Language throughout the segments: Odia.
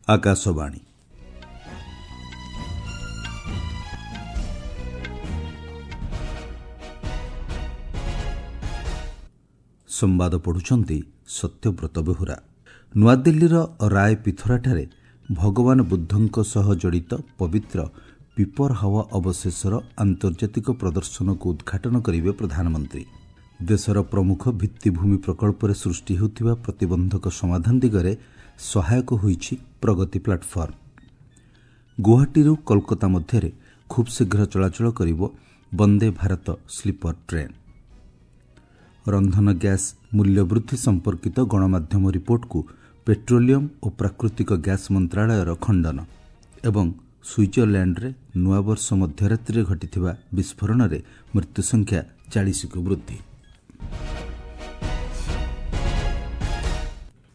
ଆକାଶବାଣୀ। ସମ୍ବାଦ ପଢ଼ୁଛନ୍ତି ସତ୍ୟବ୍ରତ ବେହୁରା। ନୂଆଦିଲ୍ଲୀର ରାୟ ପିଥୋରାଠାରେ ଭଗବାନ ବୁଦ୍ଧଙ୍କ ସହ ଜଡ଼ିତ ପବିତ୍ର ପିପରହାୱା ଅବଶେଷର ଆନ୍ତର୍ଜାତିକ ପ୍ରଦର୍ଶନକୁ ଉଦ୍ଘାଟନ କରିବେ ପ୍ରଧାନମନ୍ତ୍ରୀ। ଦେଶର ପ୍ରମୁଖ ଭିତ୍ତିଭୂମି ପ୍ରକଳ୍ପରେ ସୃଷ୍ଟି ହେଉଥିବା ପ୍ରତିବନ୍ଧକ ସମାଧାନ ଦିଗରେ ସହାୟକ ହୋଇଛି ପ୍ରଗତି ପ୍ଲାଟଫର୍ମ। ଗୁଆହାଟୀରୁ କୋଲକାତା ମଧ୍ୟରେ ଖୁବ୍ ଶୀଘ୍ର ଚଳାଚଳ କରିବ ବନ୍ଦେ ଭାରତ ସ୍ଲିପର ଟ୍ରେନ୍। ରନ୍ଧନ ଗ୍ୟାସ୍ ମୂଲ୍ୟବୃଦ୍ଧି ସମ୍ପର୍କିତ ଗଣମାଧ୍ୟମ ରିପୋର୍ଟକୁ ପେଟ୍ରୋଲିୟମ ଓ ପ୍ରାକୃତିକ ଗ୍ୟାସ୍ ମନ୍ତ୍ରଣାଳୟର ଖଣ୍ଡନ ଏବଂ ସୁଇଜରଲ୍ୟାଣ୍ଡରେ ନୂଆବର୍ଷ ମଧ୍ୟରାତ୍ରିରେ ଘଟିଥିବା ବିସ୍ଫୋରଣରେ ମୃତ୍ୟୁସଂଖ୍ୟା 40କୁ ବୃଦ୍ଧି।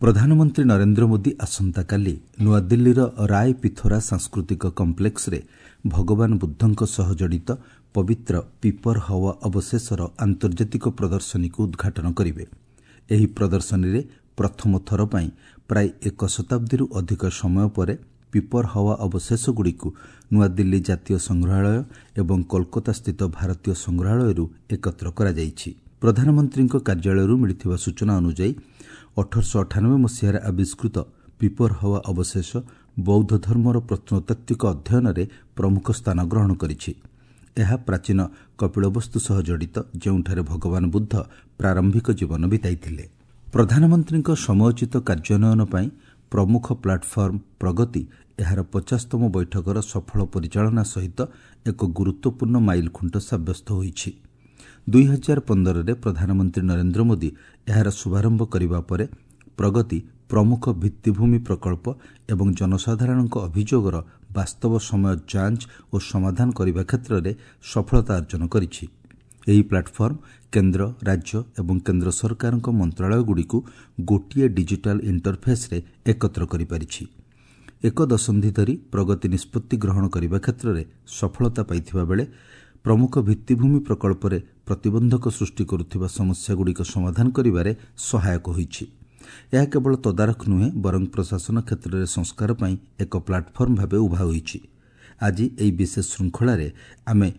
ପ୍ରଧାନମନ୍ତ୍ରୀ ନରେନ୍ଦ୍ର ମୋଦି ଆସନ୍ତାକାଲି ନୂଆଦିଲ୍ଲୀର ରାୟ ପିଥୋରା ସାଂସ୍କୃତିକ କମ୍ପ୍ଲେକ୍ସରେ ଭଗବାନ ବୁଦ୍ଧଙ୍କ ସହ ଜଡ଼ିତ ପବିତ୍ର ପିପରହାୱା ଅବଶେଷର ଆନ୍ତର୍ଜାତିକ ପ୍ରଦର୍ଶନୀକୁ ଉଦ୍ଘାଟନ କରିବେ। ଏହି ପ୍ରଦର୍ଶନୀରେ ପ୍ରଥମ ଥର ପାଇଁ ପ୍ରାୟ ଏକ ଶତାବ୍ଦୀରୁ ଅଧିକ ସମୟ ପରେ ପିପରହାୱା ଅବଶେଷଗୁଡ଼ିକୁ ନୂଆଦିଲ୍ଲୀ ଜାତୀୟ ସଂଗ୍ରହାଳୟ ଏବଂ କୋଲକାତାସ୍ଥିତ ଭାରତୀୟ ସଂଗ୍ରହାଳୟରୁ ଏକତ୍ର କରାଯାଇଛି। ପ୍ରଧାନମନ୍ତ୍ରୀଙ୍କ କାର୍ଯ୍ୟାଳୟରୁ ମିଳିଥିବା ସୂଚନା ଅନୁଯାୟୀ 1898 ମସିହାରେ ଆବିଷ୍କୃତ ପିପରହାୱା ଅବଶେଷ ବୌଦ୍ଧ ଧର୍ମର ପ୍ରତ୍ନତାତ୍ତ୍ୱିକ ଅଧ୍ୟୟନରେ ପ୍ରମୁଖ ସ୍ଥାନ ଗ୍ରହଣ କରିଛି। ଏହା ପ୍ରାଚୀନ କପିଳବସ୍ତୁ ସହ ଜଡ଼ିତ, ଯେଉଁଠାରେ ଭଗବାନ ବୁଦ୍ଧ ପ୍ରାରମ୍ଭିକ ଜୀବନ ବିତାଇଥିଲେ। ପ୍ରଧାନମନ୍ତ୍ରୀଙ୍କ ସମୟୋଚିତ କାର୍ଯ୍ୟାନ୍ୱୟନ ପାଇଁ ପ୍ରମୁଖ ପ୍ଲାଟଫର୍ମ ପ୍ରଗତି ଏହାର 50ତମ ବୈଠକର ସଫଳ ପରିଚାଳନା ସହିତ ଏକ ଗୁରୁତ୍ୱପୂର୍ଣ୍ଣ ମାଇଲଖୁଣ୍ଟ ସାବ୍ୟସ୍ତ ହୋଇଛି। 2015ରେ ପ୍ରଧାନମନ୍ତ୍ରୀ ନରେନ୍ଦ୍ର ମୋଦି ଏହାର ଶୁଭାରମ୍ଭ କରିବା ପରେ ପ୍ରଗତି ପ୍ରମୁଖ ଭିତ୍ତିଭୂମି ପ୍ରକଳ୍ପ ଏବଂ ଜନସାଧାରଣଙ୍କ ଅଭିଯୋଗର ବାସ୍ତବ ସମୟ ଯାଞ୍ଚ ଓ ସମାଧାନ କରିବା କ୍ଷେତ୍ରରେ ସଫଳତା ଅର୍ଜନ କରିଛି। ଏହି ପ୍ଲାଟଫର୍ମ କେନ୍ଦ୍ର, ରାଜ୍ୟ ଏବଂ କେନ୍ଦ୍ର ସରକାରଙ୍କ ମନ୍ତ୍ରଣାଳୟଗୁଡ଼ିକୁ ଗୋଟିଏ ଡିଜିଟାଲ ଇଣ୍ଟରଫେସ୍ରେ ଏକତ୍ର କରିପାରିଛି। ଏକ ଦଶନ୍ଧି ଧରି ପ୍ରଗତି ନିଷ୍ପତ୍ତି ଗ୍ରହଣ କରିବା କ୍ଷେତ୍ରରେ ସଫଳତା ପାଇଥିବା ବେଳେ ପ୍ରମୁଖ ଭିତ୍ତିଭୂମି ପ୍ରକଳ୍ପରେ ପ୍ରତିବନ୍ଧକ ସୃଷ୍ଟି କରୁଥିବା ସମସ୍ୟାଗୁଡ଼ିକ ସମାଧାନ କରିବାରେ ସହାୟକ ହୋଇଛି। ଏହା କେବଳ ତଦାରଖ ନୁହେଁ, ବରଂ ପ୍ରଶାସନ କ୍ଷେତ୍ରରେ ସଂସ୍କାର ପାଇଁ ଏକ ପ୍ଲାଟଫର୍ମ ଭାବେ ଉଭା ହୋଇଛି। ଆଜି ଏହି ବିଶେଷ ଶୃଙ୍ଖଳାରେ ଆମେ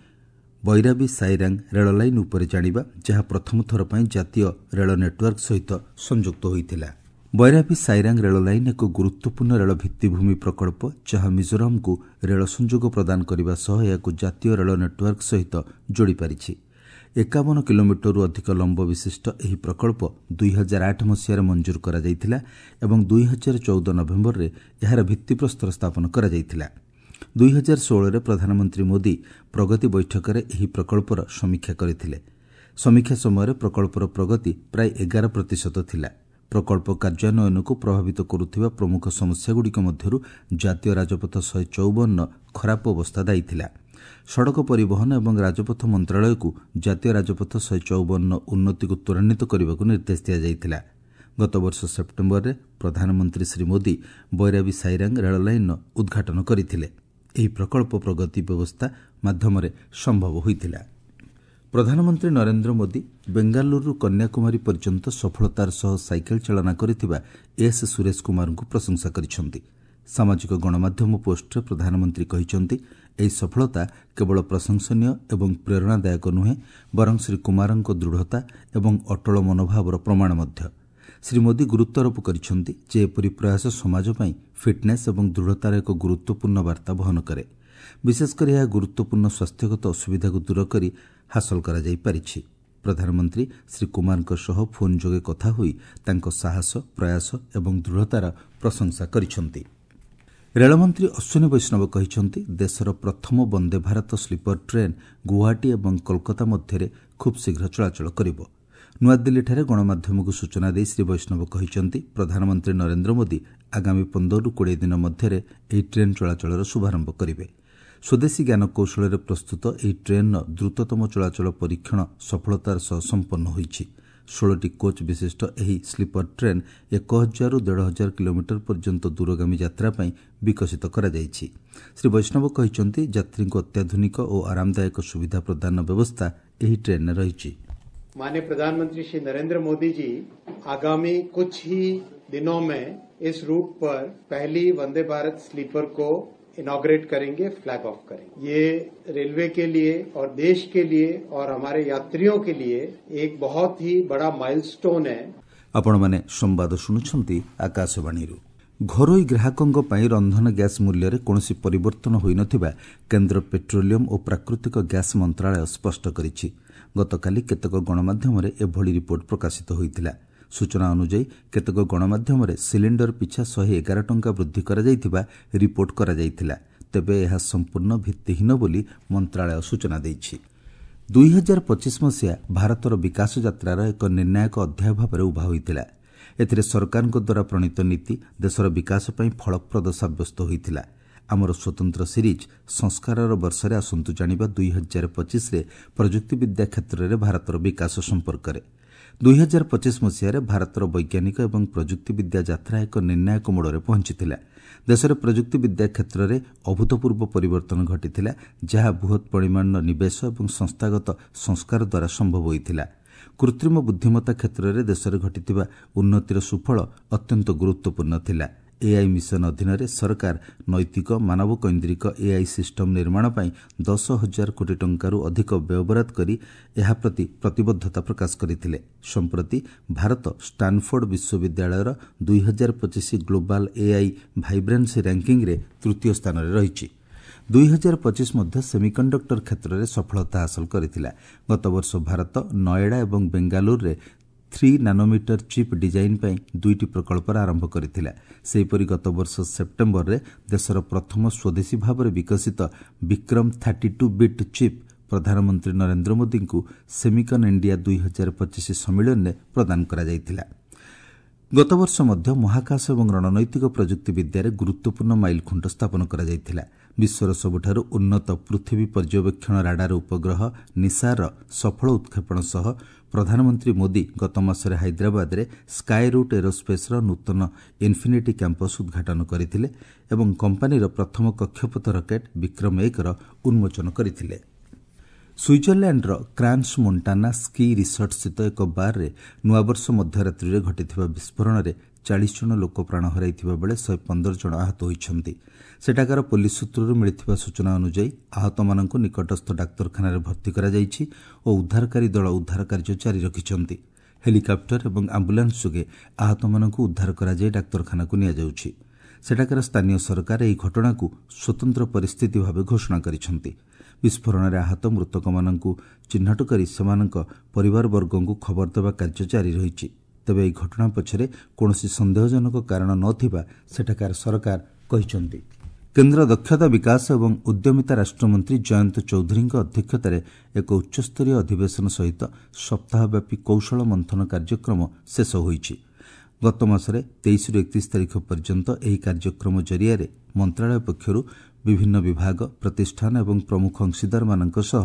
ବୈରାବୀ ସାଇରାଙ୍ଗ ରେଳ ଲାଇନ୍ ଉପରେ ଜାଣିବା, ଯାହା ପ୍ରଥମ ଥର ପାଇଁ ଜାତୀୟ ରେଳ ନେଟୱାର୍କ ସହିତ ସଂଯୁକ୍ତ ହୋଇଥିଲା। ବୈରାବୀ ସାଇରାଙ୍ଗ ରେଳ ଲାଇନ୍ ଏକ ଗୁରୁତ୍ୱପୂର୍ଣ୍ଣ ରେଳ ଭିତ୍ତିଭୂମି ପ୍ରକଳ୍ପ, ଯାହା ମିଜୋରାମକୁ ରେଳ ସଂଯୋଗ ପ୍ରଦାନ କରିବା ସହ ଏହାକୁ ଜାତୀୟ ରେଳ ନେଟୱାର୍କ ସହିତ ଯୋଡ଼ିପାରିଛି। 51 କିଲୋମିଟରରୁ ଅଧିକ ଲମ୍ବ ବିଶିଷ୍ଟ ଏହି ପ୍ରକଳ୍ପ 2008 ମସିହାରେ ମଞ୍ଜୁର କରାଯାଇଥିଲା ଏବଂ 2014 ନଭେମ୍ବରରେ ଏହାର ଭିତ୍ତିପ୍ରସ୍ତର ସ୍ଥାପନ କରାଯାଇଥିଲା। 2016ରେ ପ୍ରଧାନମନ୍ତ୍ରୀ ମୋଦି ପ୍ରଗତି ବୈଠକରେ ଏହି ପ୍ରକଳ୍ପର ସମୀକ୍ଷା କରିଥିଲେ। ସମୀକ୍ଷା ସମୟରେ ପ୍ରକଳ୍ପର ପ୍ରଗତି ପ୍ରାୟ 11% ଥିଲା। ପ୍ରକଳ୍ପ କାର୍ଯ୍ୟାନ୍ୱୟନକୁ ପ୍ରଭାବିତ କରୁଥିବା ପ୍ରମୁଖ ସମସ୍ୟାଗୁଡ଼ିକ ମଧ୍ୟରୁ ଜାତୀୟ ରାଜପଥ 154 ଖରାପ ଅବସ୍ଥା ଦାୟୀ ଥିଲା। ସଡ଼କ ପରିବହନ ଏବଂ ରାଜପଥ ମନ୍ତ୍ରଣାଳୟକୁ ଜାତୀୟ ରାଜପଥ 154 ଉନ୍ନତିକୁ ତ୍ୱରାନ୍ୱିତ କରିବାକୁ ନିର୍ଦ୍ଦେଶ ଦିଆଯାଇଥିଲା। ଗତବର୍ଷ ସେପ୍ଟେମ୍ବରରେ ପ୍ରଧାନମନ୍ତ୍ରୀ ଶ୍ରୀ ମୋଦି ବୈରାବୀ ସାଇରାଙ୍ଗ ରେଳ ଲାଇନ୍ର ଉଦ୍ଘାଟନ କରିଥିଲେ। ଏହି ପ୍ରକଳ୍ପ ପ୍ରଗତି ବ୍ୟବସ୍ଥା ମାଧ୍ୟମରେ ସମ୍ଭବ ହୋଇଥିଲା। ପ୍ରଧାନମନ୍ତ୍ରୀ ନରେନ୍ଦ୍ର ମୋଦି ବେଙ୍ଗାଲୁରୁରୁ କନ୍ୟାକୁମାରୀ ପର୍ଯ୍ୟନ୍ତ ସଫଳତାର ସହ ସାଇକେଲ ଚାଳନା କରିଥିବା ଏସ୍ ସୁରେଶ କୁମାରଙ୍କୁ ପ୍ରଶଂସା କରିଛନ୍ତି। ସାମାଜିକ ଗଣମାଧ୍ୟମ ପୋଷ୍ଟରେ ପ୍ରଧାନମନ୍ତ୍ରୀ କହିଛନ୍ତି, ଏହି ସଫଳତା କେବଳ ପ୍ରଶଂସନୀୟ ଏବଂ ପ୍ରେରଣାଦାୟକ ନୁହେଁ, ବରଂ ଶ୍ରୀ କୁମାରଙ୍କ ଦୃଢ଼ତା ଏବଂ ଅଟଳ ମନୋଭାବର ପ୍ରମାଣ ମଧ୍ୟ। ଶ୍ରୀ ମୋଦି ଗୁରୁତ୍ୱାରୋପ କରିଛନ୍ତି ଯେ ଏପରି ପ୍ରୟାସ ସମାଜ ପାଇଁ ଫିଟ୍ନେସ୍ ଏବଂ ଦୃଢ଼ତାର ଏକ ଗୁରୁତ୍ୱପୂର୍ଣ୍ଣ ବାର୍ତ୍ତା ବହନ କରେ। ବିଶେଷକରି ଏହା ଗୁରୁତ୍ୱପୂର୍ଣ୍ଣ ସ୍ୱାସ୍ଥ୍ୟଗତ ଅସୁବିଧାକୁ ଦୂର କରି ହାସଲ କରାଯାଇପାରିଛି। ପ୍ରଧାନମନ୍ତ୍ରୀ ଶ୍ରୀ କୁମାରଙ୍କ ସହ ଫୋନ୍ ଯୋଗେ କଥା ହୋଇ ତାଙ୍କ ସାହସ, ପ୍ରୟାସ ଏବଂ ଦୃଢ଼ତାର ପ୍ରଶଂସା କରିଛନ୍ତି। ରେଳମନ୍ତ୍ରୀ ଅଶ୍ୱିନୀ ବୈଷ୍ଣବ କହିଛନ୍ତି, ଦେଶର ପ୍ରଥମ ବନ୍ଦେ ଭାରତ ସ୍ଲିପର ଟ୍ରେନ୍ ଗୁଆହାଟୀ ଏବଂ କୋଲକାତା ମଧ୍ୟରେ ଖୁବ୍ ଶୀଘ୍ର ଚଳାଚଳ କରିବ। ନୂଆଦିଲ୍ଲୀଠାରେ ଗଣମାଧ୍ୟମକୁ ସୂଚନା ଦେଇ ଶ୍ରୀ ବୈଷ୍ଣବ କହିଛନ୍ତି, ପ୍ରଧାନମନ୍ତ୍ରୀ ନରେନ୍ଦ୍ର ମୋଦି ଆଗାମୀ 15ରୁ 20 ଦିନ ମଧ୍ୟରେ ଏହି ଟ୍ରେନ୍ ଚଳାଚଳର ଶୁଭାରମ୍ଭ କରିବେ। ସ୍ୱଦେଶୀ ଜ୍ଞାନକୌଶଳରେ ପ୍ରସ୍ତୁତ ଏହି ଟ୍ରେନ୍ର ଦ୍ରୁତତମ ଚଳାଚଳ ପରୀକ୍ଷଣ ସଫଳତାର ସହ ସମ୍ପନ୍ନ ହୋଇଛି। 16ଟି କୋଚ୍ ବିଶିଷ୍ଟ ଏହି ସ୍ଲିପର ଟ୍ରେନ୍ 1000ରୁ 1500 କିଲୋମିଟର ପର୍ଯ୍ୟନ୍ତ ଦୂରଗାମୀ ଯାତ୍ରା ପାଇଁ ବିକଶିତ କରାଯାଇଛି। ଶ୍ରୀ ବୈଷ୍ଣବ କହିଛନ୍ତି, ଯାତ୍ରୀଙ୍କୁ ଅତ୍ୟାଧୁନିକ ଓ ଆରାମଦାୟକ ସୁବିଧା ପ୍ରଦାନ ବ୍ୟବସ୍ଥା ଏହି ଟ୍ରେନ୍ରେ ରହିଛି। माननीय प्रधानमंत्री श्री नरेंद्र मोदी जी आगामी कुछ ही दिनों में इस रूट पर पहली वंदे भारत स्लीपर को इनॉग्रेट करेंगे, फ्लैग ऑफ करेंगे। ये रेलवे के लिए और देश के लिए और हमारे यात्रियों के लिए एक बहुत ही बड़ा माइलस्टोन है। ଆପଣମାନେ ସମ୍ବାଦ ଶୁଣୁଛନ୍ତି ଆକାଶବାଣୀରୁ। ଘରୋଇ ଗ୍ରାହକଙ୍କ ପାଇଁ ରନ୍ଧନ ଗ୍ୟାସ୍ ମୂଲ୍ୟରେ କୌଣସି ପରିବର୍ତ୍ତନ ହୋଇନଥିବା କେନ୍ଦ୍ର ପେଟ୍ରୋଲିୟମ ଓ ପ୍ରାକୃତିକ ଗ୍ୟାସ୍ ମନ୍ତ୍ରଣାଳୟ ସ୍ପଷ୍ଟ କରିଛି। ଗତକାଲି କେତେକ ଗଣମାଧ୍ୟମରେ ଏଭଳି ରିପୋର୍ଟ ପ୍ରକାଶିତ ହୋଇଥିଲା। ସୂଚନା ଅନୁଯାୟୀ, କେତେକ ଗଣମାଧ୍ୟମରେ ସିଲିଣ୍ଡର ପିଛା 111 ଟଙ୍କା ବୃଦ୍ଧି କରାଯାଇଥିବା ରିପୋର୍ଟ କରାଯାଇଥିଲା। ତେବେ ଏହା ସମ୍ପୂର୍ଣ୍ଣ ଭିତ୍ତିହୀନ ବୋଲି ମନ୍ତ୍ରଣାଳୟ ସୂଚନା ଦେଇଛି। 2025 ମସିହା ଭାରତର ବିକାଶ ଯାତ୍ରାର ଏକ ନିର୍ଣ୍ଣାୟକ ଅଧ୍ୟାୟ ଭାବରେ ଉଭା ହୋଇଥିଲା। ଏଥିରେ ସରକାରଙ୍କ ଦ୍ୱାରା ପ୍ରଣୀତ ନୀତି ଦେଶର ବିକାଶ ପାଇଁ ଫଳପ୍ରଦ ସାବ୍ୟସ୍ତ ହୋଇଥିଲା। ଆମର ସ୍ୱତନ୍ତ୍ର ସିରିଜ୍ ସଂସ୍କାରର ବର୍ଷରେ ଆସନ୍ତୁ ଜାଣିବା 2025ରେ ପ୍ରଯୁକ୍ତିବିଦ୍ୟା କ୍ଷେତ୍ରରେ ଭାରତର ବିକାଶ ସମ୍ପର୍କରେ। 2025 ମସିହାରେ ଭାରତର ବୈଜ୍ଞାନିକ ଏବଂ ପ୍ରଯୁକ୍ତିବିଦ୍ୟା ଯାତ୍ରା ଏକ ନିର୍ଣ୍ଣାୟକ ମୋଡ଼ରେ ପହଞ୍ଚିଥିଲା। ଦେଶରେ ପ୍ରଯୁକ୍ତିବିଦ୍ୟା କ୍ଷେତ୍ରରେ ଅଭୂତପୂର୍ବ ପରିବର୍ତ୍ତନ ଘଟିଥିଲା, ଯାହା ବୃହତ୍ ପରିମାଣର ନିବେଶ ଏବଂ ସଂସ୍ଥାଗତ ସଂସ୍କାର ଦ୍ୱାରା ସମ୍ଭବ ହୋଇଥିଲା। କୃତ୍ରିମ ବୁଦ୍ଧିମତ୍ତା କ୍ଷେତ୍ରରେ ଦେଶରେ ଘଟିଥିବା ଉନ୍ନତିର ସୁଫଳ ଅତ୍ୟନ୍ତ ଗୁରୁତ୍ୱପୂର୍ଣ୍ଣ ଥିଲା। ଏଆଇ ମିଶନ ଅଧୀନରେ ସରକାର ନୈତିକ, ମାନବକୈନ୍ଦ୍ରିକ ଏଆଇ ସିଷ୍ଟମ ନିର୍ମାଣ ପାଇଁ 10,000 କୋଟି ଟଙ୍କାରୁ ଅଧିକ ବ୍ୟୟବରାଦ କରି ଏହା ପ୍ରତି ପ୍ରତିବଦ୍ଧତା ପ୍ରକାଶ କରିଥିଲେ। ସମ୍ପ୍ରତି ଭାରତ ଷ୍ଟାନଫୋର୍ଡ ବିଶ୍ୱବିଦ୍ୟାଳୟର 2025 ଗ୍ଲୋବାଲ ଏଆଇ ଭାଇବ୍ରାନ୍ସି ର୍ୟାଙ୍କିଙ୍ଗ୍ରେ ତୃତୀୟ ସ୍ଥାନରେ ରହିଛି। 2025 ମଧ୍ୟ ସେମିକଣ୍ଡକ୍ଟର କ୍ଷେତ୍ରରେ ସଫଳତା ହାସଲ କରିଥିଲା। ଗତବର୍ଷ ଭାରତ ନଏଡା ଏବଂ ବେଙ୍ଗାଲୁରୁରେ 3 ନାନୋମିଟର ଚିପ୍ ଡିଜାଇନ୍ ପାଇଁ ଦୁଇଟି ପ୍ରକଳ୍ପର ଆରମ୍ଭ କରିଥିଲା। ସେହିପରି ଗତବର୍ଷ ସେପ୍ଟେମ୍ବରରେ ଦେଶର ପ୍ରଥମ ସ୍ୱଦେଶୀ ଭାବରେ ବିକଶିତ ବିକ୍ରମ 32 ବିଟ୍ ଚିପ୍ ପ୍ରଧାନମନ୍ତ୍ରୀ ନରେନ୍ଦ୍ର ମୋଦିଙ୍କୁ ସେମିକନ୍ ଇଣ୍ଡିଆ 2025 ସମ୍ମିଳନୀରେ ପ୍ରଦାନ କରାଯାଇଥିଲା। ଗତବର୍ଷ ମଧ୍ୟ ମହାକାଶ ଏବଂ ରଣନୈତିକ ପ୍ରଯୁକ୍ତିବିଦ୍ୟାରେ ଗୁରୁତ୍ୱପୂର୍ଣ୍ଣ ମାଇଲଖୁଣ୍ଟ ସ୍ଥାପନ କରାଯାଇଥିଲା। ବିଶ୍ୱର ସବୁଠାରୁ ଉନ୍ନତ ପୃଥିବୀ ପର୍ଯ୍ୟବେକ୍ଷଣ ରାଡାର ଉପଗ୍ରହ ନିସାରର ସଫଳ ଉତ୍କ୍ଷେପଣ ସହ ପ୍ରଧାନମନ୍ତ୍ରୀ ମୋଦି ଗତ ମାସରେ ହାଇଦ୍ରାବାଦରେ ସ୍କାଏ ରୁଟ୍ ଏରୋସ୍ପେସ୍ର ନୂତନ ଇନ୍ଫିନିଟି କ୍ୟାମ୍ପସ୍ ଉଦ୍ଘାଟନ କରିଥିଲେ ଏବଂ କମ୍ପାନୀର ପ୍ରଥମ କକ୍ଷପଥ ରକେଟ୍ ବିକ୍ରମ 1ର ଉନ୍ମୋଚନ କରିଥିଲେ। ସୁଇଜରଲ୍ୟାଣ୍ଡର କ୍ରାନ୍ସ ମୋଣ୍ଟାନା ସ୍କି ରିସର୍ଟସ୍ଥିତ ଏକ ବାର୍ରେ ନୂଆବର୍ଷ ମଧ୍ୟରାତ୍ରିରେ ଘଟିଥିବା ବିସ୍ଫୋରଣରେ 40 ଜଣ ଲୋକ ପ୍ରାଣ ହରାଇଥିବା ବେଳେ 115 ଜଣ ଆହତ ହୋଇଛନ୍ତି। ସେଠାକାର ପୋଲିସ ସୂତ୍ରରୁ ମିଳିଥିବା ସୂଚନା ଅନୁଯାୟୀ, ଆହତମାନଙ୍କୁ ନିକଟସ୍ଥ ଡାକ୍ତରଖାନାରେ ଭର୍ତ୍ତି କରାଯାଇଛି ଓ ଉଦ୍ଧାରକାରୀ ଦଳ ଉଦ୍ଧାର କାର୍ଯ୍ୟ ଜାରି ରଖିଛନ୍ତି। ହେଲିକପ୍ଟର ଏବଂ ଆମ୍ବୁଲାନ୍ସ ଯୋଗେ ଆହତମାନଙ୍କୁ ଉଦ୍ଧାର କରାଯାଇ ଡାକ୍ତରଖାନାକୁ ନିଆଯାଉଛି। ସେଠାକାର ସ୍ଥାନୀୟ ସରକାର ଏହି ଘଟଣାକୁ ସ୍ୱତନ୍ତ୍ର ପରିସ୍ଥିତି ଭାବେ ଘୋଷଣା କରିଛନ୍ତି। ବିସ୍ଫୋରଣରେ ଆହତ ମୃତକମାନଙ୍କୁ ଚିହ୍ନଟ କରି ସେମାନଙ୍କ ପରିବାରବର୍ଗଙ୍କୁ ଖବର ଦେବା କାର୍ଯ୍ୟ ଜାରି ରହିଛି। ତେବେ ଏହି ଘଟଣା ପଛରେ କୌଣସି ସନ୍ଦେହଜନକ କାରଣ ନ ଥିବା ସେଠାକାର ସରକାର କହିଛନ୍ତି। କେନ୍ଦ୍ର ଦକ୍ଷତା ବିକାଶ ଏବଂ ଉଦ୍ୟମିତା ରାଷ୍ଟ୍ରମନ୍ତ୍ରୀ ଜୟନ୍ତ ଚୌଧୁରୀଙ୍କ ଅଧ୍ୟକ୍ଷତାରେ ଏକ ଉଚ୍ଚସ୍ତରୀୟ ଅଧିବେଶନ ସହିତ ସପ୍ତାହବ୍ୟାପୀ କୌଶଳ ମନ୍ଥନ କାର୍ଯ୍ୟକ୍ରମ ଶେଷ ହୋଇଛି। ଗତ ମାସରେ 23ରୁ 31 ତାରିଖ ପର୍ଯ୍ୟନ୍ତ ଏହି କାର୍ଯ୍ୟକ୍ରମ ଜରିଆରେ ମନ୍ତ୍ରଣାଳୟ ପକ୍ଷରୁ ବିଭିନ୍ନ ବିଭାଗ, ପ୍ରତିଷ୍ଠାନ ଏବଂ ପ୍ରମୁଖ ଅଂଶୀଦାରମାନଙ୍କ ସହ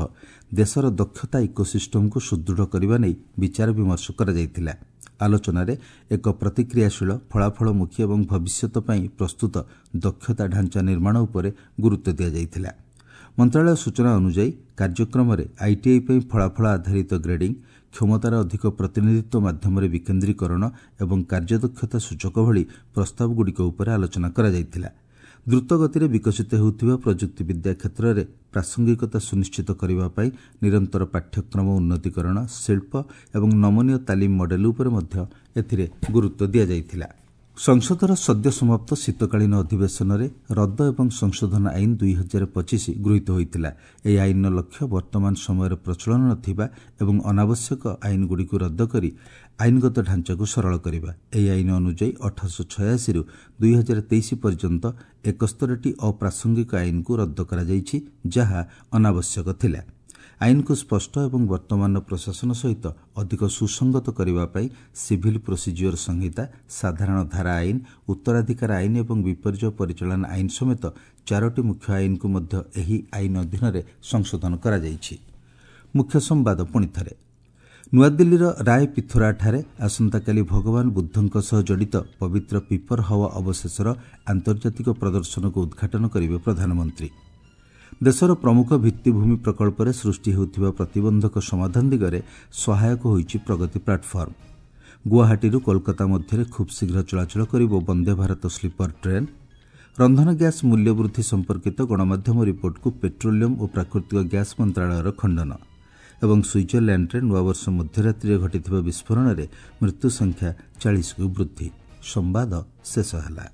ଦେଶର ଦକ୍ଷତା ଇକୋସିଷ୍ଟମକୁ ସୁଦୃଢ଼ କରିବା ନେଇ ବିଚାର ବିମର୍ଶ କରାଯାଇଥିଲା। ଆଲୋଚନାରେ ଏକ ପ୍ରତିକ୍ରିୟାଶୀଳ, ଫଳାଫଳମୁଖୀ ଏବଂ ଭବିଷ୍ୟତ ପାଇଁ ପ୍ରସ୍ତୁତ ଦକ୍ଷତା ଢାଞ୍ଚା ନିର୍ମାଣ ଉପରେ ଗୁରୁତ୍ୱ ଦିଆଯାଇଥିଲା। ମନ୍ତ୍ରଣାଳୟ ସୂଚନା ଅନୁଯାୟୀ, କାର୍ଯ୍ୟକ୍ରମରେ ଆଇଟିଆଇ ପାଇଁ ଫଳାଫଳ ଆଧାରିତ ଗ୍ରେଡିଂ, କ୍ଷମତାର ଅଧିକ ପ୍ରତିନିଧିତ୍ୱ ମାଧ୍ୟମରେ ବିକେନ୍ଦ୍ରୀକରଣ ଏବଂ କାର୍ଯ୍ୟଦକ୍ଷତା ସୂଚକ ଭଳି ପ୍ରସ୍ତାବଗୁଡ଼ିକ ଉପରେ ଆଲୋଚନା କରାଯାଇଥିଲା। ଦ୍ରୁତଗତିରେ ବିକଶିତ ହେଉଥିବା ପ୍ରଯୁକ୍ତିବିଦ୍ୟା କ୍ଷେତ୍ରରେ ପ୍ରାସଙ୍ଗିକତା ସୁନିଶ୍ଚିତ କରିବା ପାଇଁ ନିରନ୍ତର ପାଠ୍ୟକ୍ରମ ଉନ୍ନତିକରଣ, ଶିଳ୍ପ ଏବଂ ନମନୀୟ ତାଲିମ ମଡେଲ ଉପରେ ମଧ୍ୟ ଏଥିରେ ଗୁରୁତ୍ୱ ଦିଆଯାଇଥିଲା। ସଂସଦର ସଦ୍ୟ ସମାପ୍ତ ଶୀତକାଳୀନ ଅଧିବେଶନରେ ରଦ୍ଦ ଏବଂ ସଂଶୋଧନ ଆଇନ 2025 ଗୃହୀତ ହୋଇଥିଲା। ଏହି ଆଇନର ଲକ୍ଷ୍ୟ ବର୍ତ୍ତମାନ ସମୟରେ ପ୍ରଚଳନ ନଥିବା ଏବଂ ଅନାବଶ୍ୟକ ଆଇନଗୁଡ଼ିକୁ ରଦ୍ଦ କରି ଆଇନଗତ ଢାଞ୍ଚାକୁ ସରଳ କରିବା। ଏହି ଆଇନ ଅନୁଯାୟୀ 1886ରୁ 2023 ପର୍ଯ୍ୟନ୍ତ 71ଟି ଅପ୍ରାସଙ୍ଗିକ ଆଇନକୁ ରଦ୍ଦ କରାଯାଇଛି, ଯାହା ଅନାବଶ୍ୟକ ଥିଲା। ଆଇନକୁ ସ୍ପଷ୍ଟ ଏବଂ ବର୍ତ୍ତମାନର ପ୍ରଶାସନ ସହିତ ଅଧିକ ସୁସଙ୍ଗତ କରିବା ପାଇଁ ସିଭିଲ ପ୍ରୋସିଜିଓର ସଂହିତା, ସାଧାରଣ ଧାରା ଆଇନ, ଉତ୍ତରାଧିକାର ଆଇନ ଏବଂ ବିପର୍ଯ୍ୟୟ ପରିଚାଳନା ଆଇନ ସମେତ ଚାରୋଟି ମୁଖ୍ୟ ଆଇନକୁ ମଧ୍ୟ ଏହି ଆଇନ ଅଧୀନରେ ସଂଶୋଧନ କରାଯାଇଛି। ମୁଖ୍ୟ ସମ୍ବାଦ ପୁଣିଥରେ। ନୂଆଦିଲ୍ଲୀର ରାୟ ପିଥୋରାଠାରେ ଆସନ୍ତାକାଲି ଭଗବାନ ବୁଦ୍ଧଙ୍କ ସହ ଜଡ଼ିତ ପବିତ୍ର ପିପର ହାୱା ଅବଶେଷର ଆନ୍ତର୍ଜାତିକ ପ୍ରଦର୍ଶନକୁ ଉଦ୍ଘାଟନ କରିବେ ପ୍ରଧାନମନ୍ତ୍ରୀ। ଦେଶର ପ୍ରମୁଖ ଭିତ୍ତିଭୂମି ପ୍ରକଳ୍ପରେ ସୃଷ୍ଟି ହେଉଥିବା ପ୍ରତିବନ୍ଧକ ସମାଧାନ ଦିଗରେ ସହାୟକ ହୋଇଛି ପ୍ରଗତି ପ୍ଲାଟଫର୍ମ। ଗୁଆହାଟୀରୁ କୋଲକାତା ମଧ୍ୟରେ ଖୁବ୍ ଶୀଘ୍ର ଚଳାଚଳ କରିବ ବନ୍ଦେ ଭାରତ ସ୍ଲିପର ଟ୍ରେନ୍। ରନ୍ଧନ ଗ୍ୟାସ୍ ମୂଲ୍ୟ ବୃଦ୍ଧି ସମ୍ପର୍କିତ ଗଣମାଧ୍ୟମ ରିପୋର୍ଟକୁ ପେଟ୍ରୋଲିୟମ୍ ଓ ପ୍ରାକୃତିକ ଗ୍ୟାସ୍ ମନ୍ତ୍ରଣାଳୟର ଖଣ୍ଡନ। ଏବଂ ସୁଇଜରଲ୍ୟାଣ୍ଡରେ ନୂଆବର୍ଷ ମଧ୍ୟରାତ୍ରିରେ ଘଟିଥିବା ବିସ୍ଫୋରଣରେ ମୃତ୍ୟୁ ସଂଖ୍ୟା 40କୁ ବୃଦ୍ଧି। ସମ୍ବାଦ ଶେଷ ହେଲା।